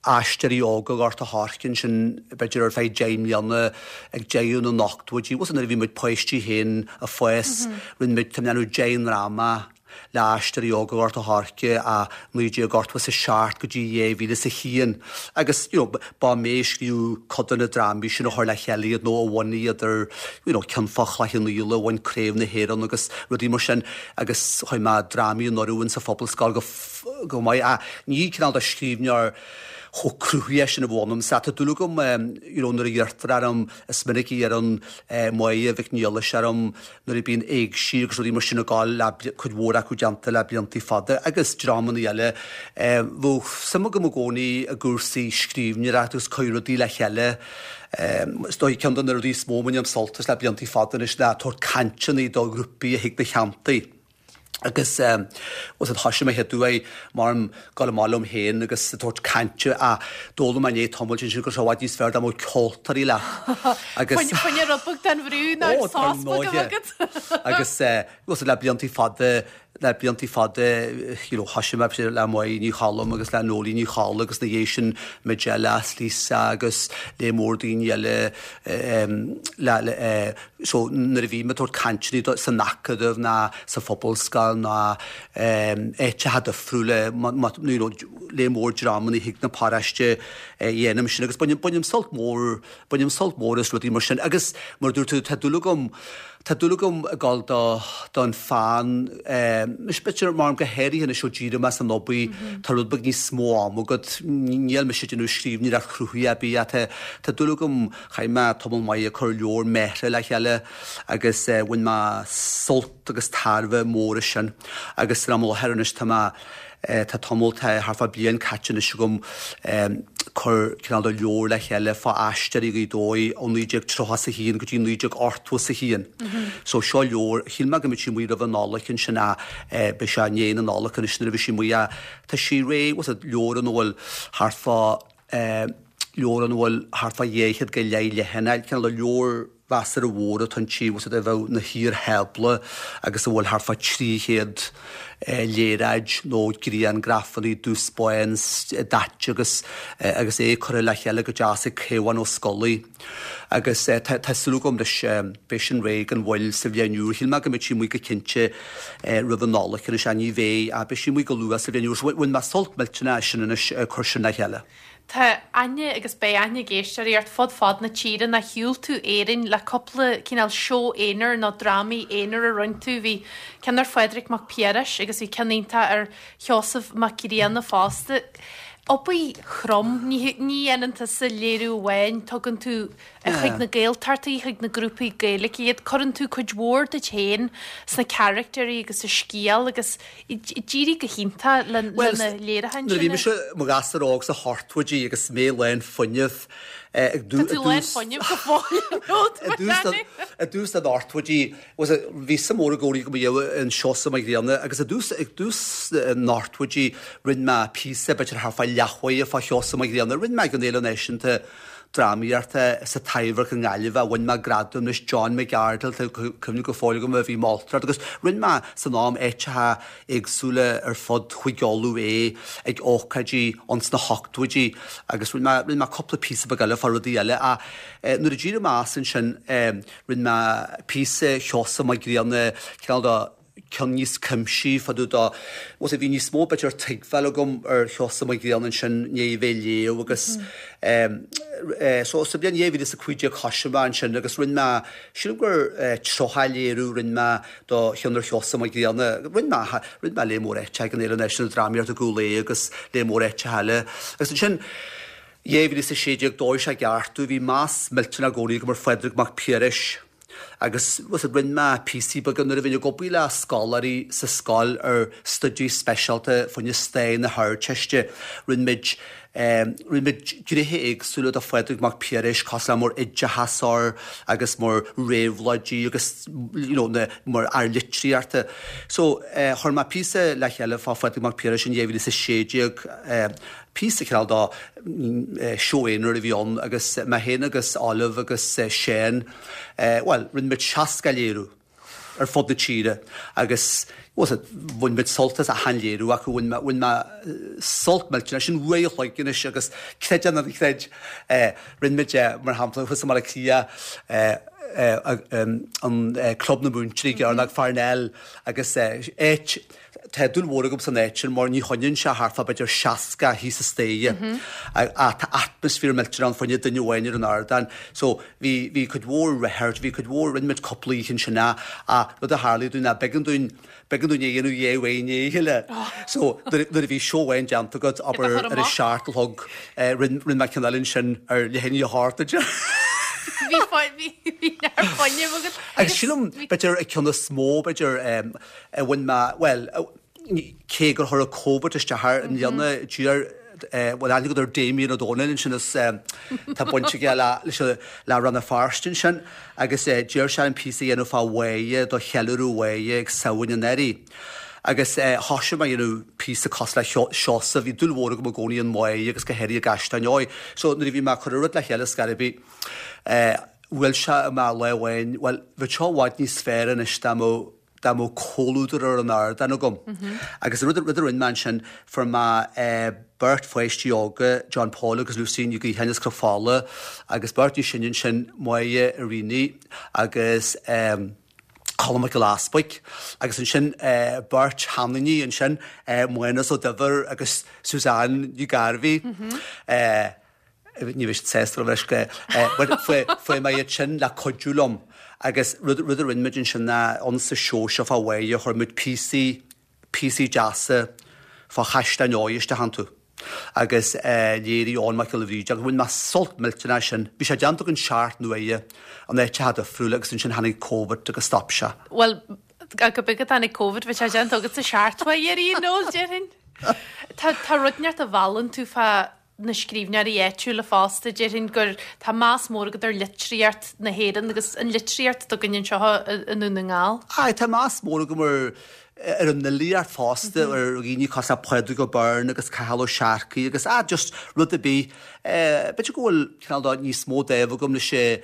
Speaker 2: Aisteoirí Óga Ghort a' Choirce ansin b'fhéidir ar feadh 10 mbliana ag deireadh na n-ochtóidí. Bhfuil 's nuair a bhí muid páistí féin ag fás rinne muid, tá mé ag déanamh 10 ndráma le Aisteoirí Óga Ghort a' Choirce ó 1987 go dtí 2001 agus you know ba mé a scríobh cuid de na drámaí sin a chuir le chéile iad nó a bhunaigh iad ar you know ceann fá Chloich Cheann Fhaola a bhain Craobh na hÉireann agus rudaí mar sin agus chuir mé drámaí anuraidh in sa Phobalscoil go go maith ach ní cineál de scríbhneoir chomh cruthaithe sin a bheadh ionamsa. Tá dúil agam you know nuair a iarrtar orm, is minic a iarrann Máire Mhic Niallais orm nuair a bíonn éigsí agus rudaí mar sin ag gabháil le cuid mhór acu déanta le bliantaí fada agus dreamanna eile. Bheadh suim agam i gcónaí i gcúrsaí scríbhneoireachta agus cur rudaí le chéile. Is dóigh ceann de na rudaí is mó a mbainim sult as le bliantaí fada anois ná tabhairt cainteanna do ghrúpaí a thig mo theannta. Agus bhfuil 's a'd thoisigh mé chéad uair mar gabháil amach liom féin agus ag tabhairt cainte ach d'fhoghlaim mé i ndiaidh tamaill ansin go raibh sé i bhfad níos fearr dá mbeadh ceoltóirí leat
Speaker 1: agus Fá choinne rud beag den bhrú nó Ó, sos beag a bheith agat.
Speaker 2: Agus bhfuil 's a'd le bliantaí fada le bliantaí fada you know thoisigh mé le Máire Ní Choilm agus le Noeleen Ní Cholla agus na dhiaidh sin Majella is Lisa agus lear mór daoine eile le le So nuair a bhím ag tabhairt cainteanna san Acadamh ná sa Phobalscoil ná áiteacha difriúla, you know lear mór dreamanna chuig na paróiste dhéanaim sin agus bainim, bainim sult mór, bainim sult mór as rudaí mar sin agus mar a dúirt tú tá dúil agam, tá dúil agam ag dul do, don pheann, anois b'fhéidir mar go háirithe anois ó d'éirigh mé as an obair tá rud beag níos mó ama agat, níl mise ag déanamh scríbhneoireacht chruthaithe ar bith ach tá, tá dúil agam Chaith mé tamall maith ag cur leabhar m'athar le chéile agus bhain mé sult agus tairbhe mór as sin. Agus san am i láthair anois tá mé, tá tamall, tá thart fá bliain caite anois agam cur cineál de leabhar le chéile fá Aisteoirí Ghaoth Dobhair ó 1931 go dtí 1981. So seo leabhar, shíl mé go mbeadh sí amuigh roimh an Nollaig ansin ach beidh sé i ndiaidh na Nollag anois nuair a bheidh sí amuigh ach tá sí réidh, bhfuil 's a'd, leabhar ina bhfuil thart fá leabhar ina bhfuil thart fá 200 go leith leathanach, cineál de leabhar mheasartha mhór atá inti, bhfuil 's a'd a bheadh ina shaor-thábla agus a bhfuil thart fá 300 léaráid nó griangrafanna dubh 's bán daite agus agus é curtha le chéile go deas ag Caomhán Ó Scolaí. Agus tá súil agam leis, beidh sin réidh gan mhoill sa bhliain úr. Shíl mé go mbeadh sí amuigh go cinnte roimh an Nollaig anois, ach ní bheidh, ach beidh sí amuigh go luath sa bhliain úr. So bhain mé sult millteanach as sin anois, ag cur sin le chéile.
Speaker 1: Tá aithne agus beidh aithne ag éisteoirí ort fud fad na tíre nó shiúil tú Éirinn le cúpla cineál seó aonair nó drámaí aonair a rinne tú. Bhí ceann ar Phádraig Mac Piarais agus bhí ceann iontach ar Sheosamh Mac Grianna fosta. Obair throm, ní dhéanann tusa léiriú amháin, tugann tú chuig na Gaeltachtaí, chuig na grúpaí Gaeilge iad, cuireann tú cuid mhór duit féin sna caractéirí agus sa scéal agus d'éirigh go hiontach le na léiriúcháin sin.
Speaker 2: Nuair a bhí mise i mo ghasúr óg sna hochtóidí agus mé lán fuinnimh
Speaker 1: ag dtús Tá tú lán fuinnimh go
Speaker 2: fóill, i dtús na n-ochtóidí Bhí suim mhór i gcónaí agam i dtaobh an Seosamh Mac Grianna agus i dtús, ag dtús na n-ochtóidí rinne mé píosa b'fhéidir thart fá leathuair fá Sheosamh Mac Grianna. Rinne mé ag an Fhéile Náisiúnta Drámaíochta sa Taibhdhearc i nGaillimh a bhain mé gradam leis John McArdle, tá cuimhne go fóill agam a bhí moltóireacht agus rinne mé san am áiteacha éagsúla ar fud Chúige Uladh é ag ócáidí ins na hochtóidí agus rinne mé, rinne mé cúpla píosa beag eile fá rudaí eile ach nuair a d'éirigh mé as ansin Rinne mé píosa Sheosamh Mac Grianna, cineál de ceann níos cuimsí fá dtaobh de, bhuel, bhí níos mó b'fhéidir tuigbheáil agam ar Sheosamh Mac Grianna ansin i ndiaidh a bheith ag léamh agus so sa bhliain 2015 thoisigh mé ansin agus rinne mé, sílim gur 30 léiriú rinne mé do cheann ar Sheosamh Mac Grianna. Rinne mé, rinne mé lear mór áiteacha ag an Fhéile Náisiúnta Drámaíochta Cúil Aodha agus lear mór áiteacha eile agus ansin, 2016 d'fhóir sé i gceart domh. Bhí meas millteanach i gcónaí agam ar Phádraig Mac Piarais agus rinne mé píosaí beaga nuair a bhínn ag obair le scoláirí sa scoil ar stuidí speisialta fá choinne stair na hArdteiste. Rinne muid rinne muid gnéithe éagsúla de Phádraig Mac Piarais cosúil le mar oideachasóir agus mar réabhlóidí agus you know na mar fhear litríochta. So chuir mé píosa le chéile fá Phádraig Mac Piarais in 2016. Píosa cineál de seó aonair a bhí ann agus mé féin agus Olive agus Seán, bhuel, rinne muid 60 léiriú ar fud na tíre agus Bhuel, sea, bhain muid sult as achan léiriú acu, bhain mé, bhain mé sult millteanach, sin uair a chloig anois agus creid é nó ná creid, rinne muid, mar shampla, thuas i mBaile Átha Cliath, an Club na Múinteoirí i gCearnóg Pharnell agus áit, tá dúil mhór agam san áit sin mar ní choinníonn sé thart fá b'fhéidir 60 thíos an staighre ach tá atmaisféar millteanach ann fá choinne duine amháin ar an ardán. So bhí, bhí cuid mhór rehearsal, bhí cuid mhór, rinne muid cúpla oíche ansin ach, ach rud a tharlaigh dúinn ná b'éigean dúinn, b'éigean dúinn é a dhéanamh dhá uair i ndiaidh a chéile. So nuair, nuair a bhí seó amháin déanta agat, abair ar a seacht a chlog, rinne, rinne mé ceann eile ansin ar leath i ndiaidh a hocht ansin.
Speaker 1: Bhí fo-, bhí, bhí neart fuinnimh agat.
Speaker 2: Agus sílim, b'fhéidir an ceann is mó, b'fhéidir, a bhain mé, bhuel, cé gur chuir an Covid isteach air i mbliana, d'iarr, bhuel, aithne agat ar Damien Ó Dónaill ansin is tá baint aige le, leis an, le Rann na Feirste ansin agus d'iarr sé orm píosa a dhéanamh fá Mháire do cheiliúradh Mháire ag Samhain anuraidh. Agus thoisigh mé a dhéanamh píosa cosúil le Seosamh, bhí dúil mhór agam i gcónaí in Máire agus go háirithe i gCaisleán Eo. So nuair a bhí mé ag cur an rud le chéile scor ar bith, bhuail sé mé lá amháin, bhuel, bheadh seo i bhfad níos fearr anois dá mbeadh dá mbeadh comhluadar ar an ardán agam. Agus an rud rud a rinne mé ansin, fuair mé beirt pháistí óga, John Paul agus Lucy Ní Ghaotháin as Cnoc Fola, agus beirt níos sine ansin, Máire Irini agus Colm Mac Giolla Easpaig, agus ansin beirt sheaniní ansin, Mánas Ó Duibhir agus Suzanne Ní Ghairbhí. Ní bheidh siad sásta leis go but fuair mé iad sin le cuidiú liom agus rud rud a rinne muid ansin ná ann sa seó seo fá Mháire chuir muid píosaí píosaí deasa fá Chaisleán Eo isteach iontu agus léirigh Eoin Mac Giolla Bhríde agus bhain mé sult millteanach as sin. Bhí sé déanta againn seacht n-uaire in áiteacha difriúla agus ansin tháinig Covid agus stop sé.
Speaker 1: Bhuel, go beag a tháinig Covid, bhí sé déanta agat sa seacht uair í Noel, déarfainn. Tá tá rud inteacht a mheallann tú fá na scríbhneoirí áitiúla fosta, déarfainn gur tá meas mór agat ar litríocht na hÉireann agus an litríocht atá againn anseo i nDún na nGall.
Speaker 2: Aye, tá meas mór agam ar ar an fhilíocht fosta, ar dhaoine cosúil le Pádraig Ó Beirn agus Cathal Ó Searcaigh agus ah just rud ar bith. B'fhéidir go bhfuil cineál de níos mó dáimh agam leis an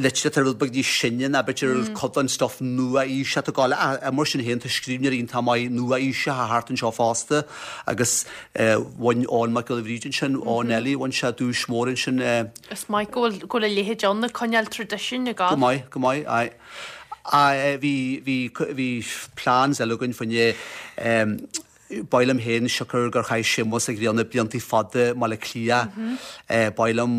Speaker 2: litríocht atá rud beag níos sine ná b'fhéidir cuid den stuff nua-aoiseach atá ag gabháil ach mar sin féin tá scríbhneoirí iontach maith nua-aoiseacha thart anseo fosta agus bhain Eoin Mac Giolla Bhríde ansin, Eoin Ellie, bhain sé duais mhór ansin.
Speaker 1: Is maith go bhfuil go bhfuil a leithéid ann ag coinneáil traidisiúin ag
Speaker 2: gabháil. Go maith, go maith, aye. Aye, bhí, bhí, bhí plans eile againn fá choinne Ba mhaith liom féin, siocair gur chaith Séamus Ó Grianna blianta fada i mBaile Átha Cliath, ba mhaith liom,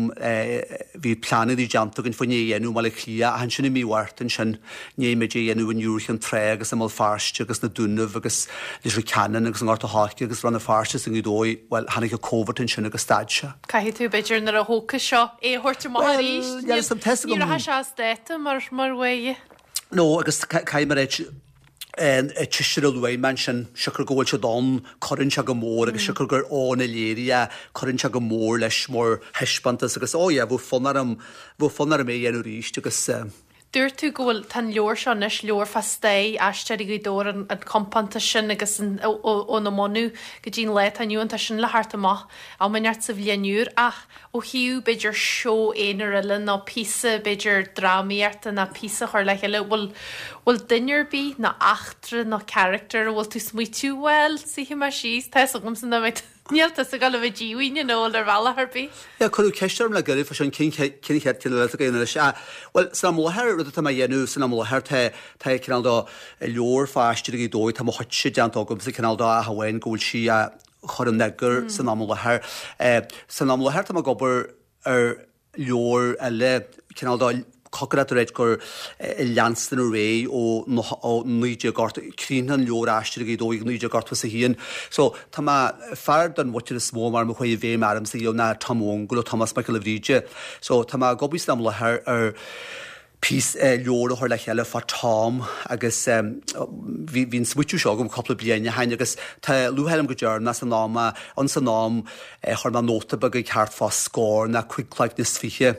Speaker 2: bhí pleananna déanta againn fá choinne é a dhéanamh i mBaile Átha Cliath ach ansin i mí Mhárta ansin, i ndiaidh muid é a dhéanamh in Iúr Chinn Trá agus i mBéal Feirste agus na Dúnaibh agus Leitir Ceanainn agus i nGort a' Choirce agus Rann na Feirste is i nGaoth Dobhair, bhuel, tháinig an Covid ansin agus stad sé.
Speaker 1: Caithfidh tú, b'fhéidir, nuair a thógfas seo é a thabhairt amach arís. Bhuel, níl 'fhios a'm, tá's agam. Ní rachaidh sé as dáta mar, mar mhaith.
Speaker 2: No, agus caithfidh mé a ráit, an tseisear a luaigh mé ansin, siocair go bhfuil siad ann, cuireann sé go mór agus siocair gur Eoin a léirigh é, cuireann sé go mór leis mar thaispeántas agus oh yeah, bheadh fonn orm, bheadh fonn orm é a dhéanamh arís agus.
Speaker 1: Dúirt tú go bhfuil, tá an leabhar seo anois, leabhar fá stair Aisteoirí Ghaoth Dobhair, an an compántas sin agus an óna mbunú go dtí an lá atá inniu ann, tá sin le theacht amach am inteacht sa bhliain úr ach ó thaobh, b'fhéidir, seó aonair eile nó píosa, b'fhéidir, drámaíochta nó píosa a chur le chéile, bhfuil, bhfuil duine ar bith nó eachtra nó character a bhfuil tú ag smaoitiú, bhuel, suífidh mé síos, tá fhios agamsa nach mbeidh, níl tusa ag dul a bheith díomhaoin a Noel ar bhealach ar bith.
Speaker 2: Yeah, cuireadh ceist orm le gairid fá sin, cén chéad ceann eile atá againn anois? Ah, bhuel, san am i láthair, rud atá mé a dhéanamh san am i láthair, tá, tá cineál de leabhar fá Aisteoirí Ghaoth Dobhair, tá mo chuidse déanta agamsa, cineál de ach amháin go bhfuil sí á, chur in eagar san am i láthair. San am i láthair tá mé ag obair ar leabhar eile, cineál de cocaireacht a ráit gur leanstan ar aghaidh ó 1980, críochnaíonn an leabhar Aisteoirí Ghaoth Dobhair ag 1981. So tá mé, fear den mhuintir is mó mar a chuaigh i bhfeidhm ormsa riamh ná Tom Mhóngail ó Tomás Mac Giolla Bhríde. So tá mé ag obair san am i láthair ar píosa, leabhar a chur le chéile fá Tom agus bhí bhí an smaoitiú seo agam cúpla bliain ó shin agus tá lúcháir orm go dtearn mé san am é. Ins an am chuir mé nóta beag ag thart fá scór ná cuig cloigne is fiche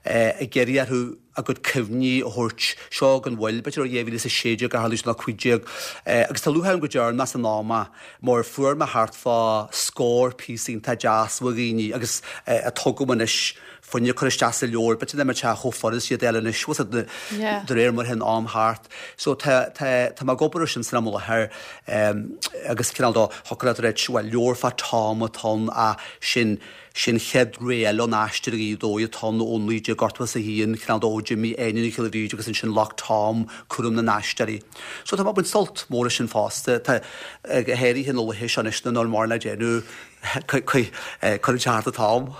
Speaker 2: ag iarraidh orthu a gcuid cuimhní a thabhairt, seo gan mhoill, b'fhéidir ó 2016 a tharla sé nó 15 agus tá lúcháir orm go dtearn mé san am é mar fuair mé thart fá scór píosa iontach deas ó dhaoine agus atá agam anois. fuinneamh a chur isteach sa leabhar, b'fhéidir nach mbeadh sé chomh furast iad a fháil anois, bhfuil a fhios agat, de réir mar a théann am thart. So tá, tá, tá mé ag obair ar sin san am i láthair agus cineál de thiocfadh leat a ráit, bhuel, leabhar fá Tom atá ann ach sin, sin chéad ré eile ón aistear i Gaoth Dobhair atá ann ó 1981, cineál de ó d'imigh Áine Ní Ghiolla Bhríde agus ansin ghlac Tom cúram na n-aisteoirí. So tá mé ag baint sult mór as sin fosta. Tá, go háirithe na laethe seo anois nuair nach bhfuil mórán le déanamh, cuireann sé thart an t-am.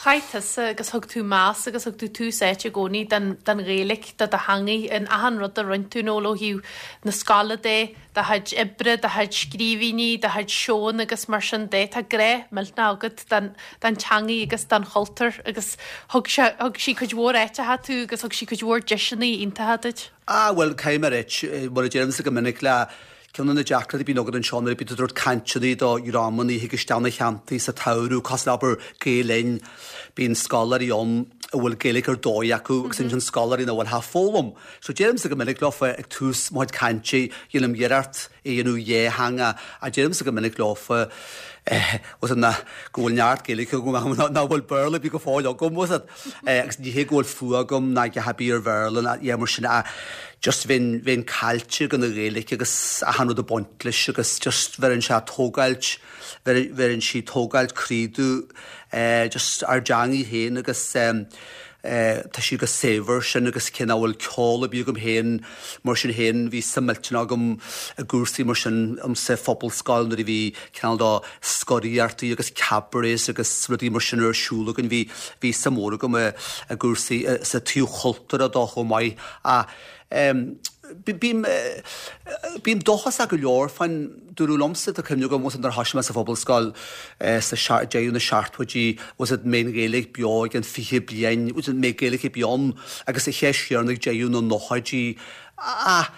Speaker 1: Chaith tusa agus thug tú meas agus thug tú tús áite i gcónaí don Ghaeilge, do do theangaidh in achan rud a rinne tú, Noel, ó thaobh na scoile de, do chuid oibre, do chuid scríbhinní, do chuid seónna agus mar sin de. Tá grá millteanach agat don teangaidh agus don chultúr agus thug sé, thug sí cuid mhór áiteacha tú agus thug sí cuid mhór deiseanna iontacha duit.
Speaker 2: Ah bhuel, caithfidh mé a ráit, mar a deirimse go minic le Ceann de na deacrachtaí a bhíonn agat anseo nuair a bíonn tú ag tabhairt cainteanna do dhreamanna a thig isteach na theanntaí sa tsamhradh, cosúil le abair Gael Linn, bíonn scoláirí ann a bhfuil Gaeilge ar dóigh acu agus ansin scoláirí nach bhfuil ach ag foghlaim. So deirimse go minic leofa ag tús mo chuid cainte, dhéanaim iarracht é a dhéanamh dhátheangach ach deirimse go minic leofa eh, bhfuil a fhios agat, go bhfuil neart Gaeilge agam nach bhfuil Béarla ar bith go fóill agam, bhfuil a fhios agat. Agus ní hé go bhfuil fuath agam ná a dhath ar bith ar Bhéarla ná yeah mar sin ach just bheinn, bheinn caillte gan an Ghaeilge agus achan rud ag baint leis agus just bheireann sé tógáilt, bheireann sí tógáilt croí domh just ár dteangaidh féin agus tá sí chomh saibhir sin agus cé nach bhfuil ceol ar bith agam féin mar sin féin bhí suim millteanach agam i gcúrsaí mar sin sa phobalscoil nuair a bhí cineál de scoraíochtaí agus cabarets agus rudaí mar sin ar siúl againn. Bhí, bhí suim mhór agam i, i gcúrsaí, sa taobh chultúrtha dó chomh maith. Ach em bím, bím dóchasach go leor fán, dúradh liomsa, tá cuimhne agam, bhfuil a fhios agat nuair a thoisigh mé sa phobalscoil sa deireadh na seachtóidí, bhfuil a fhios agat an mbeidh an Ghaeilge beo i gceann 20 bliain, bhfuil a fhios agat an mbeidh Gaeilge ar bith ann agus an cheist chéanna ag deireadh na nóchaidí. Ach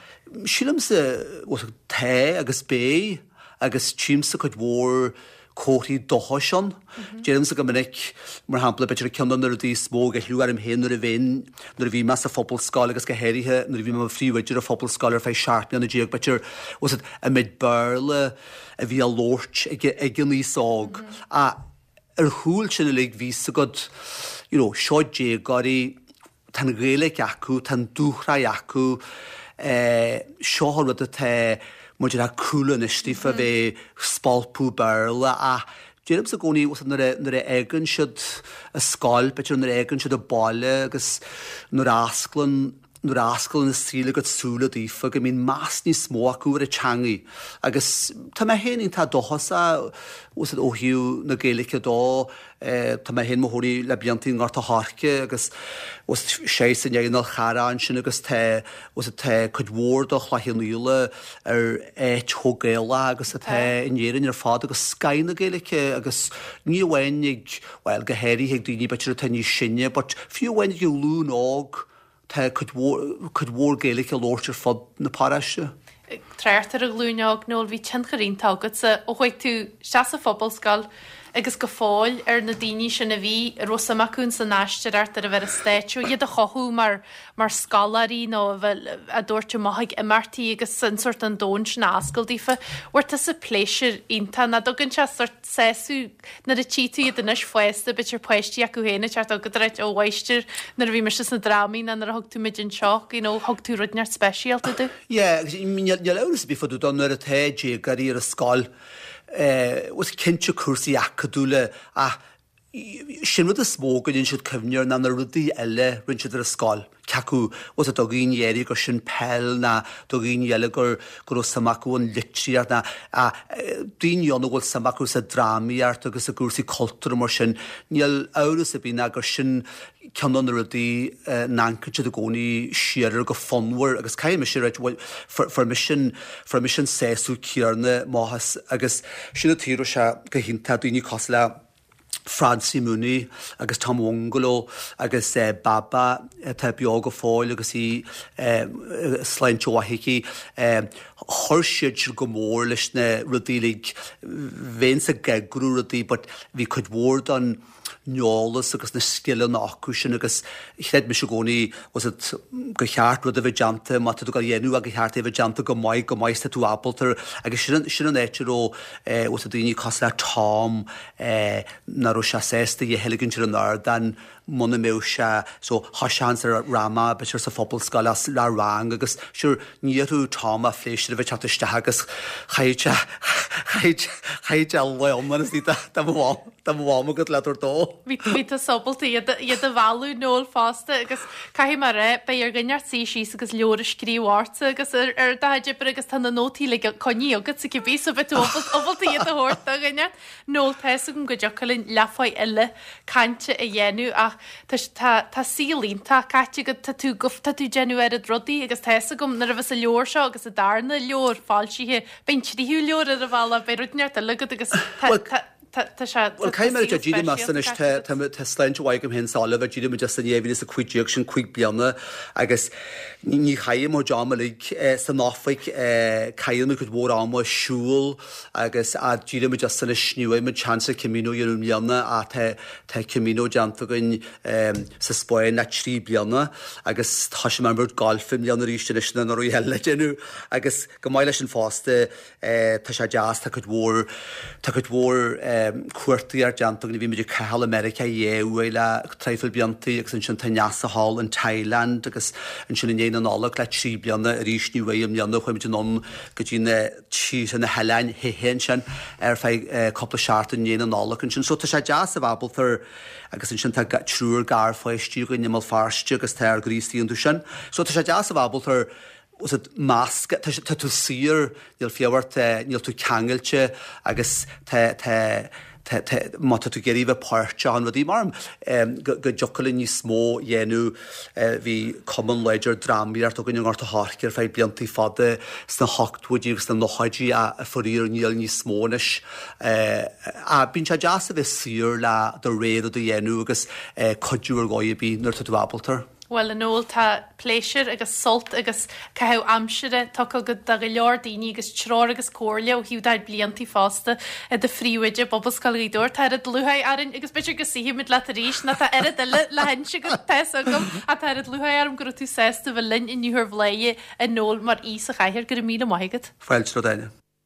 Speaker 2: sílimse, bhfuil a fhios agat, tá agus beidh. agus tchímse cuid mhór comharthaí dóchais ann. Deirimse go minic, mar shampla, b'fhéidir ceann de na rudaí is mó a ghoilleadh orm féin nuair a bheinn, nuair a bhí mé sa phobalscoil agus go háirithe nuair a bhí mé i mo phríomhoide ar an phobalscoil ar feadh 17 mbliana, b'fhéidir, bhfuil a fhios agat, an méid Béarla a bhí á labhairt ag, ag an aos óg. Ach ar chúl sin uilig bhí a fhios agat, you know, seo déagóirí, Tá an Ghaeilge acu, tá an dúshraith acu, seo an rud atá muid ag cúl anois daofa bheith ag spalpadh Béarla ach deirimse i gcónaí nuair a nuair a fhágann siad an scoil, b'fhéidir nuair a fhágann siad an baile agus nuair a osclann nuair a osclann an saol a gcuid súile daofa go mbíonn meas níos mó acu ar an teangaidh agus tá mé féin iontach dóchasach ó thaobh na Gaeilge dó. Tá mé féin i mo chónaí le blianta i nGort a' Choirce agus sé i ndiaidh an Fhál Charrach ansin agus tá tá cuid mhór de Chloich Cheann Fhaola ar áit chomh Gaelach agus atá in Éirinn ar fad agus scoth na Gaeilge agus ní amháin ag, bhuel go háirithe ag daoine b'fhéidir atá níos sine but fiú amháin ag an ghlúin óg Tá cuid mhór, cuid mhór Gaeilge á labhairt ar fud na paróiste.
Speaker 1: Ag trácht ar an ghlúin óg, Noel, bhí tionchar iontach agatsa ó chuaigh tú isteach sa phobalscoil agus go fóill ar na daoine sin a bhí, a raibh suim acu ins an aisteoireacht, ar a bheith ar an stáitse, iad a chothú mar, mar scoláirí nó a bheith á dtabhairt amach ag imeachtaí agus an sórt an domhan sin a oscailt daofa. Bhfuair tusa pléisiúr iontach, nach dtugann sé sórt sásamh nuair a tchí tú iad anois fásta, b'fhéidir páistí acu féin ag teacht chugat ag ráit, ó a mháistir, nuair a bhí mise sna drámaí nó nuair a thug tú muid anseo, you know, thug tú rud inteacht speisialta domh.
Speaker 2: Yeah, agus níl amhras ar bith fá dtaobh dó nuair atá déagóirí ar an scoil, eh, bhuel cinnte cúrsaí acadúla ach Sin rud is mó go ndéanann siad cuimhne air ná na rudaí eile rinne siad ar an scoil. Cé acu bhfuil a fhios agat do dhaoine áirithe gur sin peil ná do dhaoine eile gur go raibh suim acu an litríocht ná daoine ann a bhfuil suim acu sa drámaíocht agus i gcúrsaí cultúrtha mar sin. Níl amhras ar bith ná gur sin ceann de na rudaí a n-amharcann siad i gcónaí siar air go fonnmhar agus caithfidh mise a ráit bhuel fuair mise an fuair mise an sásamh céanna amach as agus sin an tuige a raibh sé go hiontach daoine cosúil le Francie Mooney agus Tom Bhungalo agus Baba atá beo go fóill agus í sláinte mhaith aici. Chuir siad sin go mór leis na rudaí uilig. Bheinnse ag eagrú rudaí but bhí cuid mhór den eolas agus na scileanna acu sin agus chreid mise i gcónaí bhfuil a fhios agat gur cheart rud a bheith déanta má tá tú ag dul a dhéanamh é gur cheart é a bheith déanta go maith go maith is tá tú ábalta agus sin sin an áit a raibh bhfuil a fhios agat daoine cosúil le Tom nach raibh sé sásta a dhath a ligint ar an ardán. muna mbeadh sé so thoiseochainnse ar dhráma b'fhéidir sa phobalscoil as le rang agus sure ní iarrfadh Tom a phléisiúr a bheith teacht isteach agus chaithfeadh sé chaithfeadh chaithfeadh sé lá iomlán istigh de mo mham de mo mham agat le tabhairt dó.
Speaker 1: Bhí bhí tú ábalta iad iad a mhealladh Noel fosta agus caithfidh mé a rá beidh ar dhuine inteacht suí síos agus leabhar a scríobh ortsa agus ar ar do chuid oibre agus tá na nótaí uilig coinnithe agatsa cibé so beidh tú ábalta iad a thabhairt do dhuine. Noel tá fhios agam go dtiocfadh linn leathuair eile cainte a dhéanamh ach tá tá tá saol iontach caite agat, tá tú go tá tú ag déanamh oiread rudaí agus tá fhios agam nuair a bheas an leabhar seo agus an darna leabhar foilsithe beidh an tríú leabhar ar an bhealach, beidh rud inteacht eile agat agus tá
Speaker 2: Bhuel,
Speaker 1: tá tá tá sé
Speaker 2: Bhuel,
Speaker 1: tá
Speaker 2: caithfidh mé a
Speaker 1: saol
Speaker 2: rá, d'éirigh mé as
Speaker 1: speisialta
Speaker 2: anois,
Speaker 1: caite
Speaker 2: tá
Speaker 1: agat.
Speaker 2: tá tá sláinte mhaith agam féin is Oliver, d'éirigh muid as in 2015, sin 5 bliana agus ní ní chaithim mo chuid ama uilig san oifig, caithim cuid mhór ama ag siúl, Agus d'éirigh muid as anois, ní bhfuair muid seans an Camino a dhéanamh i mbliana ach tá tá Camino déanta againn sa Spáinn le 3 bliana agus thoisigh mé ag imirt gailf i mbliana arís anois na rudaí eile le déanamh agus go maith leis sin fosta tá sé deas tá cuid mhór tá cuid mhór cuartaíocht déanta againn bhí muid ag caitheamh i Meiriceá dhá uair le traidhfil bliantaí agus ansin tá Neasa thall in Thailand agus ansin i ndiaidh na Nollag le 3 bliana arís ní bhfuair i mbliana chuaigh muid anonn go dtí na tíortha na hoileáin Phi Phi ansin ar feadh cúpla seachtain i ndiaidh na Nollag ansin. So tá sé deas a bheith ábalta agus ansin tá triúr garpháistí againn i mBéal Feirste agus tá ár gcroí istigh iontu sin. So tá sé deas a bheith ábalta meascadh, tá tá tú saor, níl fiacha ort, níl tú ceangailte agus tá tá tá tá má tá tú ag iarraidh bheith páirteach in rudaí mar go go dtiocfadh linn níos mó a dhéanamh Bhí cumann láidir drámaíochta againn i nGort a' Choirce ar feadh bliantaí fada sna hochtóidí agus sna nóchaidí ach faraor níl níos mó anois. Ach bíonn sé deas a bheith saor le do rogha rud a dhéanamh agus cuidiú ar dhóigh ar bith nuair atá tú ábalta.
Speaker 1: Bhuel, a Noel, tá pléisiúr agus sult agus caitheamh aimsire tugtha agat do go leor daoine agus treoir agus comhairle ó thaobh do chuid bliantaí fosta i do phríomhoide i bPobalscoil Ghaoth Dobhair. Tá oiread lúcháir orainn agus b'fhéidir go suífimid leat arís nó tá oiread eile le hinse agat, tá fhios agam, ach tá oiread lúcháir orm go raibh tú sásta bheith linn inniu ar Bhladhaire, a Noel, mar aoi sa chathaoir. Go raibh míle maith agat.
Speaker 2: Fáilte romhat, Áine.